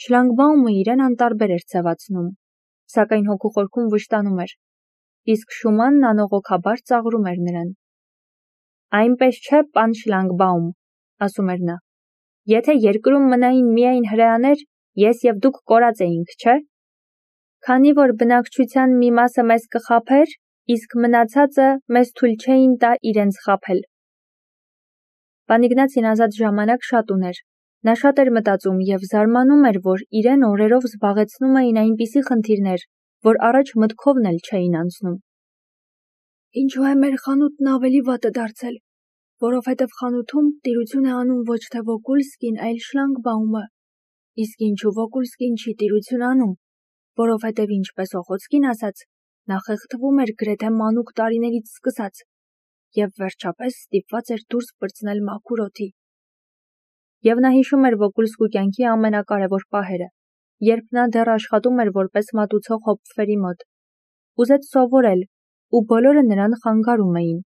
Շլանգբաումը իրեն անտարբեր էր ձևացնում, սակայն հոգուխորքում վշտանում էր, իսկ Շումանն անողոքաբար ծաղրում էր նրան։ Այնպես չէ, պան Շլանգբաում, ասում էր նա, եթե երկրում մնային միայն հրեաներ, ես և դուք կորած էինք, չէ՞։ Քանի որ բնակչության մի մասը մեզ կխաբեր, իսկ մնացածը մեզ թույլ չէին տա իրենց խաբել։ Պան Իգնացին ազատ ժամանակ շատ ուներ, նա շատ էր մտածում և զարմանում էր, որ իրեն օրերով զբաղեցնում էին այնպիսի խնդիրներ, որ առաջ մտքովն էլ չէին անցնում։ Ինչու է մեր խանութն ավելի վատը դարձել, որովհետև խանութում տիրություն է անում ոչ թե Վոկուլսկին, այլ Շլանգբաումը, իսկ ինչու Վոկուլսկին չի տիրություն անում, որովհետև ինչպես Օխոցկին ասաց, նա խեղդվում էր գրեթե մանուկ տարիներից սկսած և վերջապես ստիպված էր դուրս պրծնել մաքուր օդի։ Եվ նա հիշում էր Վոկուլսկու կյանքի ամենակարևոր պահերը, երբ նա դեռ աշխատում էր որպես մատուցող հոպֆերի մոտ։ Ուզեց սովորել, ու բոլորը նրան խանգարում էին։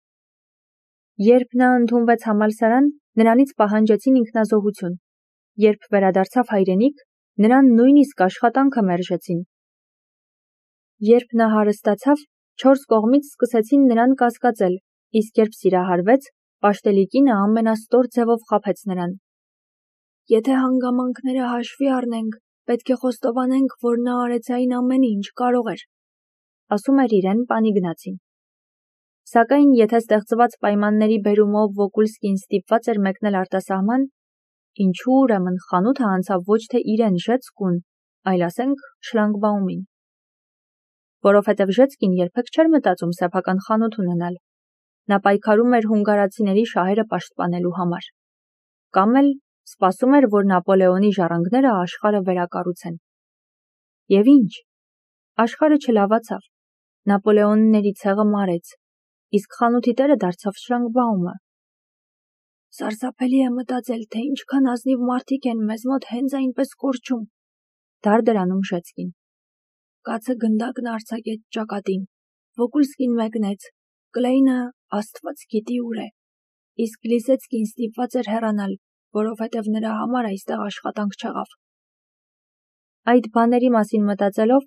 Երբ նա ընդունվեց համալսարան, նրանից պահանջեցին ինքնազոհություն։ Երբ վերադարձավ հայրենիք, նրան նույնիսկ աշխատանքը մերժեցին։ Երբ նա հարստացավ, 4 կողմից սկսեցին նրան կասկածել, իսկ երբ սիրահարվեց, Պաշտելիկինը ամենաստոր ձևով խաբեց նրան։ Եթե հանգամանքները հաշվի առնենք, պետք է խոստովանենք, որ նա արեց այն ամենը, ինչ կարող էր, ասում էր իրեն պան Իգնացին։ Սակայն եթե ստեղծված պայմանների բերումով Վոկուլսկին ստիպված էր մեկնել արտասահման, ինչու ուրեմն խանութը անցավ ոչ թե իրեն Ժեցկուն, այլ ասենք Շլանգբաումին։ Որովհետև Ժեցկին երբեք չէր մտածում սեփական խանութ ունենալ։ Նա պայքարում էր հունգարացիների շահերը պաշտպանելու համար։ Կամ էլ սպասում էր, որ Նապոլեոնի ժառանգները աշխարհը վերակառուցեն։ Եվ ինչ։ Աշխարհը չլավացավ։ Նապոլեոնների ցեղը մարեց, իսկ խանութի տերը դարձավ Շլանգբաումը։ Սարսափելի է մտածել, թե ինչքան ազնիվ մարդիկ են մեզ մոտ հենց այնպես կորչում, դարդրանում Ժեցկին։ Կացը գնդակն արձակեց ճակատին, Վոկուլսկին մեկնեց, Կլեյնը աստված գիտի ուր է, իսկ Լիսեցկին ստիպված էր հեռանալ, որովհետև նրա համար այստեղ աշխատանք չեղավ։ Այդ բաների մասին մտածելով,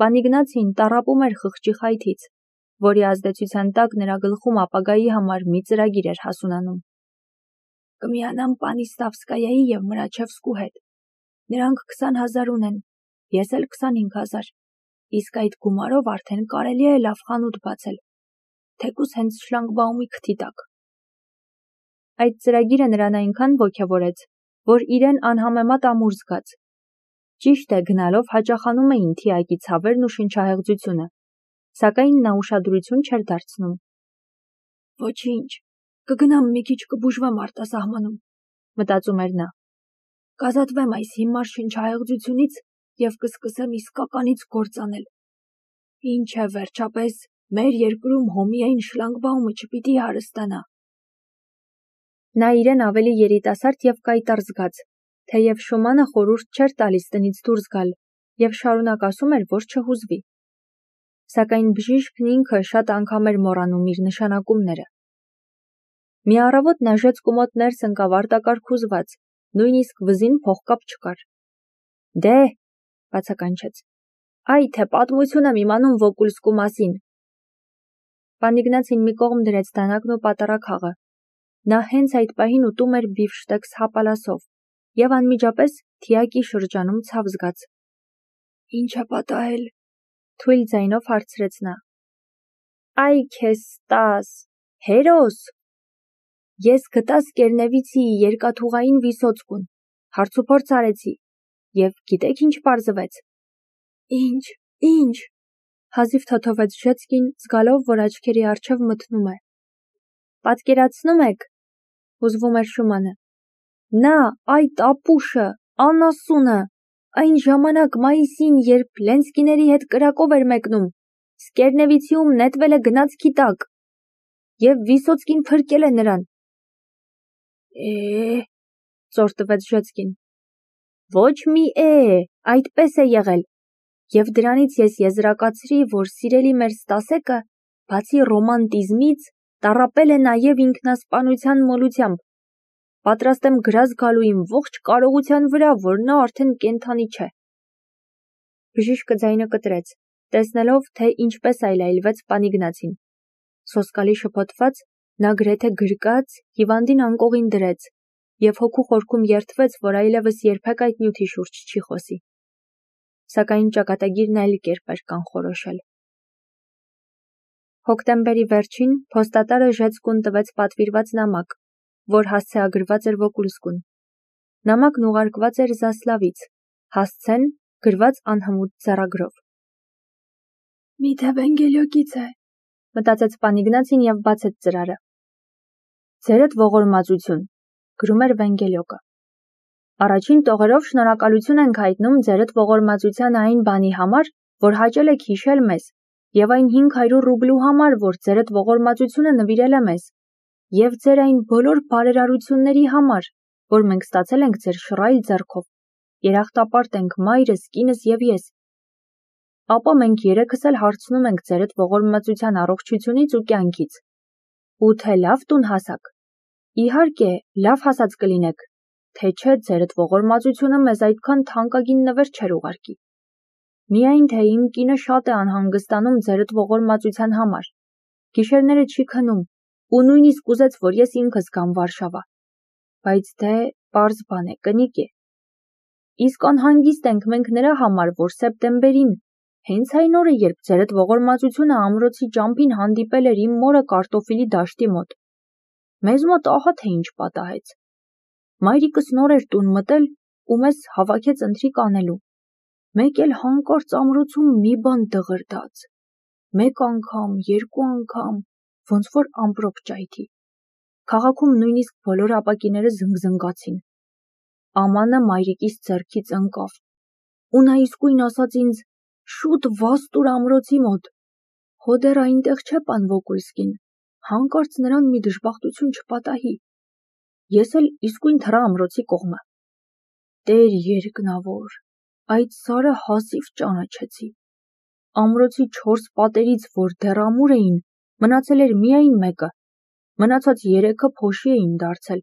պան Իգնացին տառապում էր խղճի խայթից, որի ազդեցության տակ նրա գլխում ապագայի համար մի ծրագիր էր հասունանում։ Կմիանամ պանի Ստավսկայայի և Մրաչևսկու հետ։ Նրանք 20,000 ունեն, ես էլ 25,000, իսկ այդ գումարով արդեն կարելի է լավ խանութ բացել, թեկուզ հենց Շլանգբաումի քթի տակ։ Այդ ծրագիրը նրան այնքան ոգևորեց, որ իրեն անհամեմատ ամուր զգաց։ Ճիշտ է, գնալով հաճախանում էին թիակի ցավերն ու շնչահեղձությունը, սակայն նա ուշադրություն չէր դարձնում։ Ոչինչ, կգնամ մի քիչ կբուժվեմ արտասահմանում, մտածում էր նա։ Կազատվեմ այս հիմար շնչահեղձությունից և կսկսեմ իսկականից գործ անել։ Ինչ է վերջապես, մեր երկրում հոմիային Շլանգբաումը չպիտի հարստանա։ Նա իրեն ավելի երիտասարդ և կայտառ զգաց, թեև Շումանը խորհուրդ չէր տալիս տնից դուրս գալ և շարունակ ասում էր, որ չհուզվի։ Սակայն բժիշկն ինքը շատ անգամ էր մոռանում իր նշանակումները։ Մի առավոտ նա Ժեցկու մոտ ներս ընկավ արտակարգ հուզված, նույնիսկ վզին փողկապ չկար։ Դե, բացականչեց, այ թե պատմություն եմ իմանում Վոկուլսկու մասին։ Պան Իգնացին մի կողմ դրեց դանակն ու պատառաքաղը։ Նա հենց այդ պահին ուտում էր բիֆշտեքս հապալասով և անմիջապես թիակի շրջանում ցավ զգաց։ Ինչ է պատահել, թույլ ձայնով հարցրեց նա։ Այ քեզ տաս, հերոս։ Ես գտա Սկերնևիցիի երկաթուղային վիսոցկուն, հարցուփորձ արեցի, և գիտեք ինչ պարզվեց։ Ինչ, հազիվ թոթովեց Ժեցկին, զգալով, որ աչքերի առջև մթնում է։ Պատկերացնում եք, հուզվում էր Շումանը։ Նա, այդ ապուշը, անասունը, այն ժամանակ մայիսին, երբ Լենսկիների հետ կրակով էր մեկնում, Սկերնևիցիում նետվել է գնացքի տակ, և Վիսոցկին փրկել է նրան։ Ծոր տվեց Ժեցկին։ Ոչ մի այդպես է եղել, և դրանից ես եզրակացրի, որ սիրելի մեր Ստասեկը, բացի ռոմանտիզմից, տառապել է նաև ինքնասպանության մոլությամբ, պատրաստ եմ գրազ գալու իմ ողջ կարողության վրա, որ նա արդեն կենդանի չէ։ Բժիշկը ձայնը կտրեց, տեսնելով, թե ինչպես այլայլվեց Պանիգնացին։ Սոսկալի շփոթված, նա գրեթե գրկած հիվանդին անկողին դրեց և հոգու խորքում երդվեց, որ այլևս երբեք այդ նյութի շուրջ չի խոսի։ Սակայն ճակատագիրն այլ կերպ էր կանխորոշել։ Հոկտեմբերի վերջին փոստատարը Ժեցկուն տվեց պատվիրված նամակ, որ հասցեագրված էր Վոկուլսկուն։ Նամակն ուղարկված էր Զասլավից, հասցեն գրված անհմուտ ձեռագրով։ Միթե Վենգելյոկից է, մտածեց Պանիգնացին և բացեց ծրարը։ Ձերդ ողորմածություն, գրում էր Վենգելյոկը։ Առաջին տողերով շնորհակալություն ենք հայտնում ձերդ ողորմածության այն բանի համար, որ հաճել եք հիշել մեզ, և այն 500 ռուբլու համար, որ ձերդ ողորմածությունը նվիրել է մեզ, և ձեր այն բոլոր բարերարությունների համար, որ մենք ստացել ենք ձեր շռայլ ձեռքով, երախտապարտ ենք մայրս, կինս և ես։ Ապա մենք երեքս էլ հարցնում ենք ձերդ ողորմածության առողջությունից ու կյանքից, ու թե լավ տուն հասաք։ Իհարկե, լավ հասած կլինեք, թե չէ ձերդ ողորմածությունը մեզ այդքան թանկագին նվեր չէր ուղարկի։ Միայն թե իմ կինը շատ է անհանգստանում ձերդ ողորմածության համար, գիշերները չի քնում, ու նույնիսկ ուզեց, որ ես ինքս գամ Վարշավա, բայց դե պարզ բան է, կնիկ է։ Իսկ անհանգիստ ենք մենք նրա համար, որ սեպտեմբերին, հենց այն օրը, երբ ձերդ ողորմածությունը ամրոցի ճամփին հանդիպել էր իմ մորը կարտոֆիլի դաշտի մոտ, մեզ մոտ ահա թե ինչ պատահեց։ Մայրիկս նոր էր տուն մտել ու մեզ հավաքեց ընթրիք անելու։ Մեկ էլ հանկարծ ամրոցում մի բան դղրդաց։ Մեկ անգամ, երկու անգամ, ոնց որ ամպրոպ ճայթի։ Քաղաքում նույնիսկ բոլոր ապակիները զնգզնգացին։ Ամանը մայրիկիս ձեռքից ընկավ։ Ու նա իսկույն ասաց ինձ. «Շուտ վազ տուր ամրոցի մոտ»։ Հո դեռ այնտեղ չէ պան Վոկուլսկին, հանկարծ նրան մի դժբախտություն չպատահի։ Ես էլ իսկույն թռա ամրոցի կողմը։ Տեր երկնավոր, այդ սարը հազիվ ճանաչեցի։ Ամրոցի 4 պատերից, որ դեռ ամուր էին, մնացել էր միայն մեկը, մնացած 3-ը փոշի էին դարձել։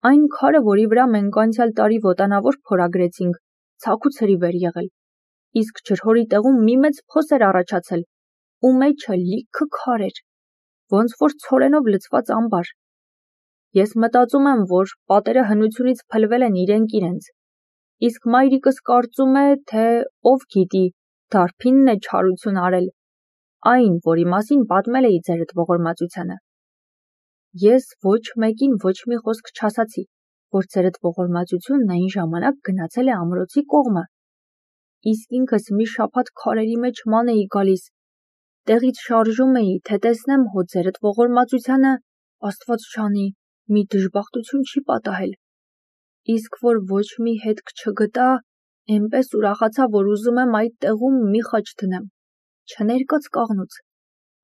Այն քարը, որի վրա մենք անցյալ տարի ոտանավոր փորագրեցինք, ցաքու ցրիվ էր եղել, իսկ ջրհորի տեղում մի մեծ փոս էր առաջացել, ու մեջը լիքը քար էր, ոնց որ ցորենով լցված ամբար։ Ես մտածում եմ, որ պատերը հնությունից փլվել են իրենք իրենց, իսկ մայրիկս կարծում է, թե ով գիտի, դարբինն է չարություն արել, այն, որի մասին պատմել էի ձերդ ողորմածությանը։ Ես ոչ մեկին ոչ մի խոսք չասացի, որ ձերդ ողորմածությունն այն ժամանակ գնացել է ամրոցի կողմը, իսկ ինքս մի շաբաթ քարերի մեջ ման էի գալիս, տեղից շարժում էի, թե տեսնեմ հո ձերդ ողորմածությանը, Աստված ջանի, մի դժբախտություն չի պատահել, իսկ որ ոչ մի հետք չգտա, էնպես ուրախացա, որ ուզում եմ այդ տեղում մի խաչ դնեմ, չներկած կաղնուց,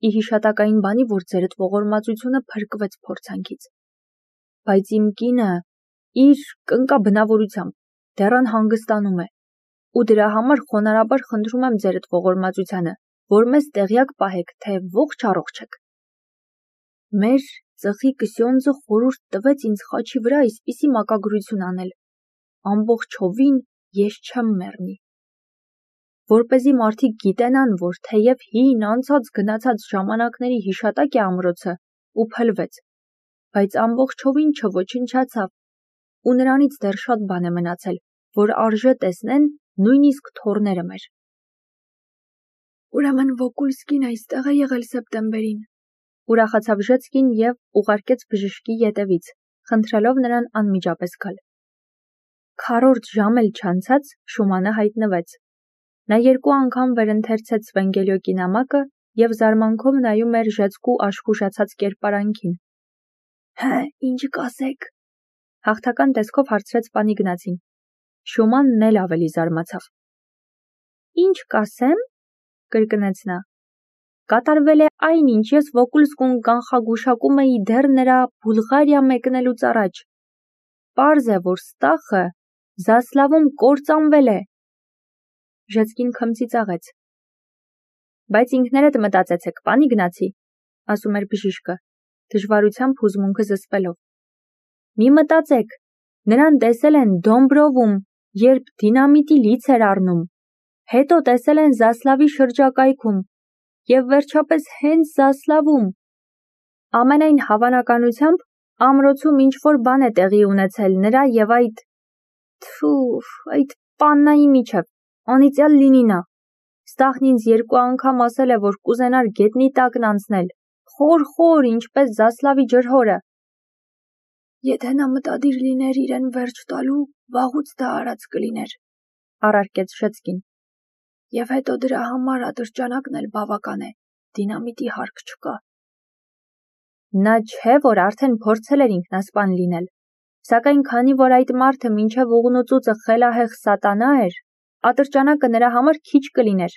ի հիշատակային բանի, որ ձերդ ողորմածությունը փրկվեց փորձանքից։ Բայց իմ կինը իր կնկա բնավորությամբ դեռ անհանգստանում է, ու դրա համար խոնարհաբար խնդրում եմ ձերդ ողորմածությանը, որ մեզ տեղյակ պահեք, թե ողջ առողջ եք։ Մեր ծխի կսյոնձը խորհուրդ տվեց ինձ խաչի վրա այսպիսի մակագրություն անել. ամբողջովին ես չեմ մեռնի։ Որպեսզի մարդիկ գիտենան, որ թեև հին անցած գնացած ժամանակների հիշատակ է ամրոցը ու փլվեց, բայց ամբողջովին չոչնչացավ, ու նրանից դեռ շատ բան է մնացել, որ արժե տեսնեն նույնիսկ թոռները մեր։ Ուրեմն Վոկուլսկին այստեղ է եղել սեպտեմբերին, ուրախացավ Ժեցկին և ուղարկեց բժշկի ետևից, խնդրելով նրան անմիջապես գալ։ Քառորդ ժամ էլ չանցած Շումանը հայտնվեց։ Նա 2 անգամ վերընթերցեց Վենգելյոկի նամակը և զարմանքով նայում էր Ժեցկու աշխուժացած կերպարանքին։ Հը, ինչ կասեք, հաղթական տեսքով հարցրեց Պանիգնացին։ Շումանն էլ ավելի զարմացավ։ Ինչ կասեմ, կրկնեց նա։ Կատարվել է այն, ինչ ես Վոկուլսկուն կանխագուշակում էի դեռ նրա Բուլղարիա մեկնելուց առաջ։ Պարզ է, որ Ստախը Զասլավում կործանվել է։ Ժեցկին քմծիծաղեց։ Բայց ինքներդ մտածեցեք, Պանիգնացի, ասում էր բժիշկը, դժվարությամբ հուզմունքը զսպելով։ Մի մտածեք, նրան տեսել են Դոմբրովում, երբ դինամիտի լից էր առնում, հետո տեսել են Զասլավի շրջակայքում և վերջապես հենց Զասլավում։ Ամենայն հավանականությամբ ամրոցում ինչ-որ բան է տեղի ունեցել նրա և այդ պաննայի միջև, անիծյալ լինի նա։ Ստախն ինձ 2 անգամ ասել է, որ կուզենար գետնի տակն անցնել, խոր, ինչպես Զասլավի ջրհորը։ Եթե նա մտադիր լիներ իրեն վերջ տալու, վաղուց դա արած կլիներ, առարկեց Շեցկին։ Եվ հետո դրա համար ատրճանակն էլ բավական է, դինամիտի հարկ չկա։ Նա չէ, որ արդեն փորձել էր ինքնասպան լինել, սակայն քանի որ այդ մարդը մինչև ուղնուծուծը խելահեղ սատանա էր, ատրճանակը նրա համար քիչ կլիներ,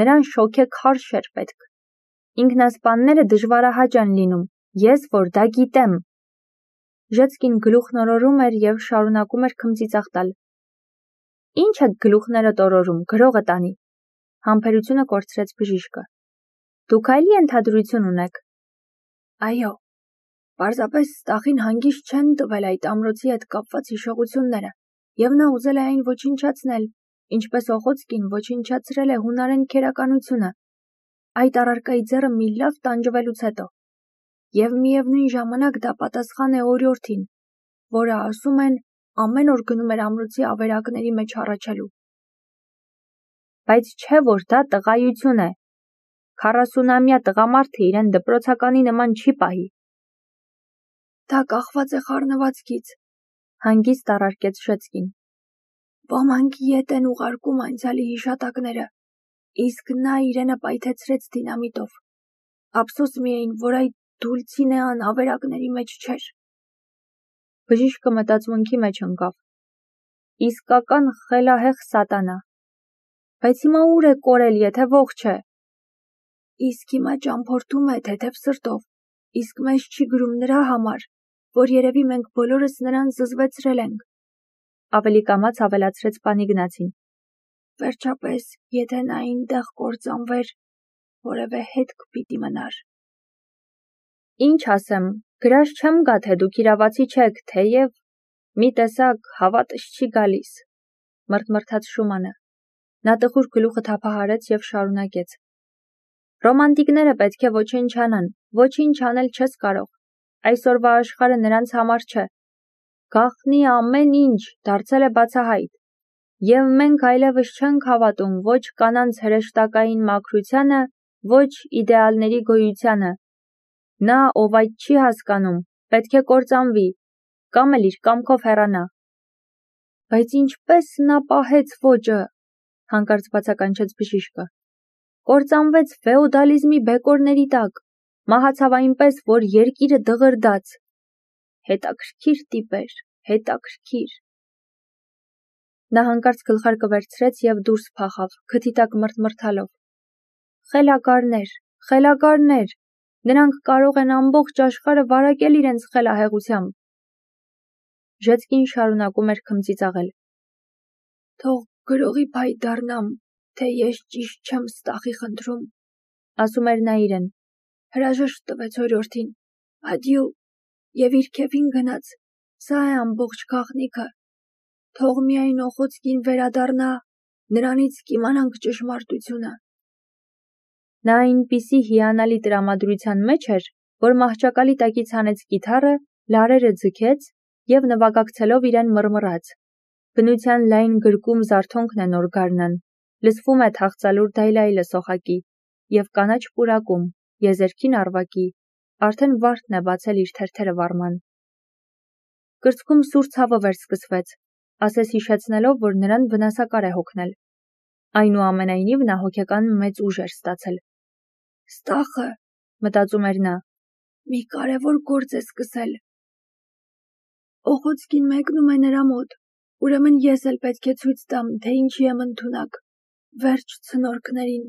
նրան շոգեքարշ էր պետք։ Ինքնասպանները դժվարահաճ են լինում, ես որ դա գիտեմ։ Ժեցկին գլուխն օրորում էր և շարունակում էր քմծիծաղ տալ։ Ինչ եք գլուխներդ օրորում, գրողը տանի, համբերությունը կորցրեց բժիշկը։ Դուք այլ ենթադրություն ունեք։ Այո, պարզապես Ստախին հանգիստ չեն տվել այդ ամրոցի հետ կապված հիշողությունները, և նա ուզել է այն ոչնչացնել, ինչպես Օխոցկին ոչնչացրել է հունարեն քերականությունը, այդ առարկայի ձեռը մի լավ տանջվելուց հետո, և միևնույն ժամանակ դա պատասխան է օրիորդին, որը ասում են ամեն օր գնում էր ամրոցի ավերակների մեջ հառաչելու։ Բայց չէ որ դա տղայություն է, 40-ամյա տղամարդը իրեն դպրոցականի նման չի պահի։ Դա կախված է խառնվածքից, հանգիստ առարկեց Շեցկին։ Ոմանք ետ են ուղարկում անցյալի հիշատակները, իսկ նա իրենը պայթեցրեց դինամիտով։ Ափսոս միայն, որ այդ Դուլցինեան ավերակների մեջ չէր։ Բժիշկը մտածմունքի մեջ ընկավ։ Իսկական խելահեղ սատանա։ Բայց հիմա ուր է կորել, եթե ողջ է։ Իսկ հիմա ճամփորդում է թեթև սրտով, իսկ մեզ չի գրում նրա համար, որ երևի մենք բոլորս նրան զզվեցրել ենք։ Ավելի կամաց ավելացրեց Պանիգնացին։ Վերջապես, եթե նա այնտեղ կործանվեր, որևէ հետք պիտի մնար։ Ինչ ասեմ, գրած չեմ գա, թե դուք իրավացի չեք, թեև մի տեսակ հավատս չի գալիս, մրթմրթաց Շումանը։ Նա տխուր գլուխը թափահարեց և շարունակեց. Ռոմանտիկները պետք է ոչնչանան, ոչինչ անել չես կարող։ Այսօրվա աշխարհը նրանց համար չէ։ Գաղտնի ամեն ինչ դարձել է բացահայտ, և մենք այլևս չենք հավատում ոչ կանանց հրեշտակային մաքրությանը, ոչ իդեալների գոյությանը։ Նա, ով այդ չի հասկանում, պետք է կործանվի, կամ էլ իր կամքով հեռանա։ Բայց ինչպես նա պահեց ոճը, հանկարծ բացականչեց բժիշկը։ Կործանվեց ֆեոդալիզմի բեկորների տակ, մահացավ այնպես, որ երկիրը դղրդաց։ Հետաքրքիր տիպ էր, հետաքրքիր։ Նա հանկարծ գլխարկը վերցրեց և դուրս փախավ, քթի տակ մրթմրթալով։ Խելագարներ, նրանք կարող են ամբողջ աշխարհը վարակել իրենց խելահեղությամբ։ Ժեցկին շարունակում էր քմծիծաղել։ Թող գրողի փայտ դառնամ, թե ես ճիշտ չեմ Ստախի խնդրում, ասում էր նա իրեն։ Հրաժեշտ տվեց օրիորդին, ադյու, և իր քեֆին գնաց, սա է ամբողջ գաղտնիքը։ Թող միայն Օխոցկին վերադառնա, նրանից կիմանանք ճշմարտությունը։ Նա այնպիսի հիանալի տրամադրության մեջ էր, որ մահճակալի տակից հանեց կիթառը, լարերը ձգեց և նվագակցելով իրեն մռմռաց։ Բնության լայն գրկում զարթոնքն է նոր գարնան, լսվում է թախծալուր դայլայլը սոխակի, և կանաչ պուրակում, եզերքին առվակի, արդեն վարդն է բացել իր թերթերը վառման։ Կրծքում սուր ցավը վերսկսվեց, ասես հիշեցնելով, որ նրան վնասակար է հոգնել։ Այնուամենայնիվ նա հոգեկան մեծ ուժ էր ստացել։ Ստախը, մտածում էր նա, մի կարևոր գործ է սկսել։ Օխոցկին մեկնում է նրա մոտ, ուրեմն ես էլ պետք է ցույց տամ, թե ինչի եմ ընդունակ, վերջ ցնորքներին։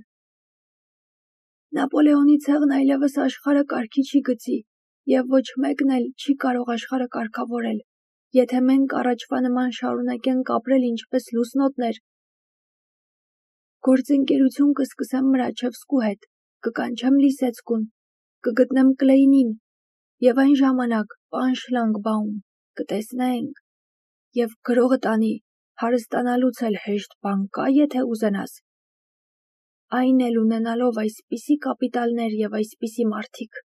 Նապոլեոնի ցեղն այլևս աշխարհը կարգի չի գցի, և ոչ մեկն էլ չի կարող աշխարհը կարգավորել, եթե մենք առաջվա նման շարունակենք ապրել ինչպես լուսնոտներ։ Գործընկերություն կսկսեմ Մրաչևսկու հետ, կկանչեմ Լիսեցկուն, կգտնեմ Կլեյնին, և այն ժամանակ պան Շլանգբաում, կտեսնենք, և գրողը տանի, հարստանալուց էլ հեշտ բան կա, եթե ուզենաս։ Այն էլ ունենալով այսպիսի կապիտալներ և այսպիսի մարդիկ։